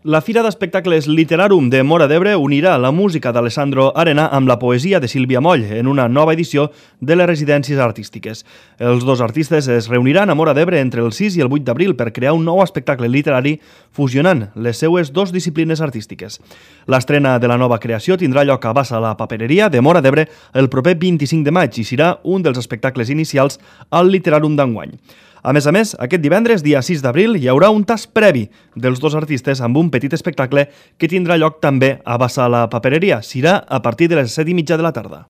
La Fira d'Espectacles Literarum de Móra d'Ebre unirà la música d'Alessandro Arena amb la poesia de Sílvia Moll en una nova edició de les residències artístiques. Els dos artistes es reuniran a Móra d'Ebre entre el 6 i el 8 d'abril per crear un nou espectacle literari fusionant les seues dues disciplines artístiques. L'estrena de la nova creació tindrà lloc a Bassa la Papereria de Móra d'Ebre el proper 25 de maig i serà un dels espectacles inicials al Literarum d'enguany. A més, aquest divendres, dia 6 d'abril, hi haurà un tast previ dels dos artistes amb un petit espectacle que tindrà lloc també a Bassa la Papereria. Serà a partir de les 7:30 de la tarda.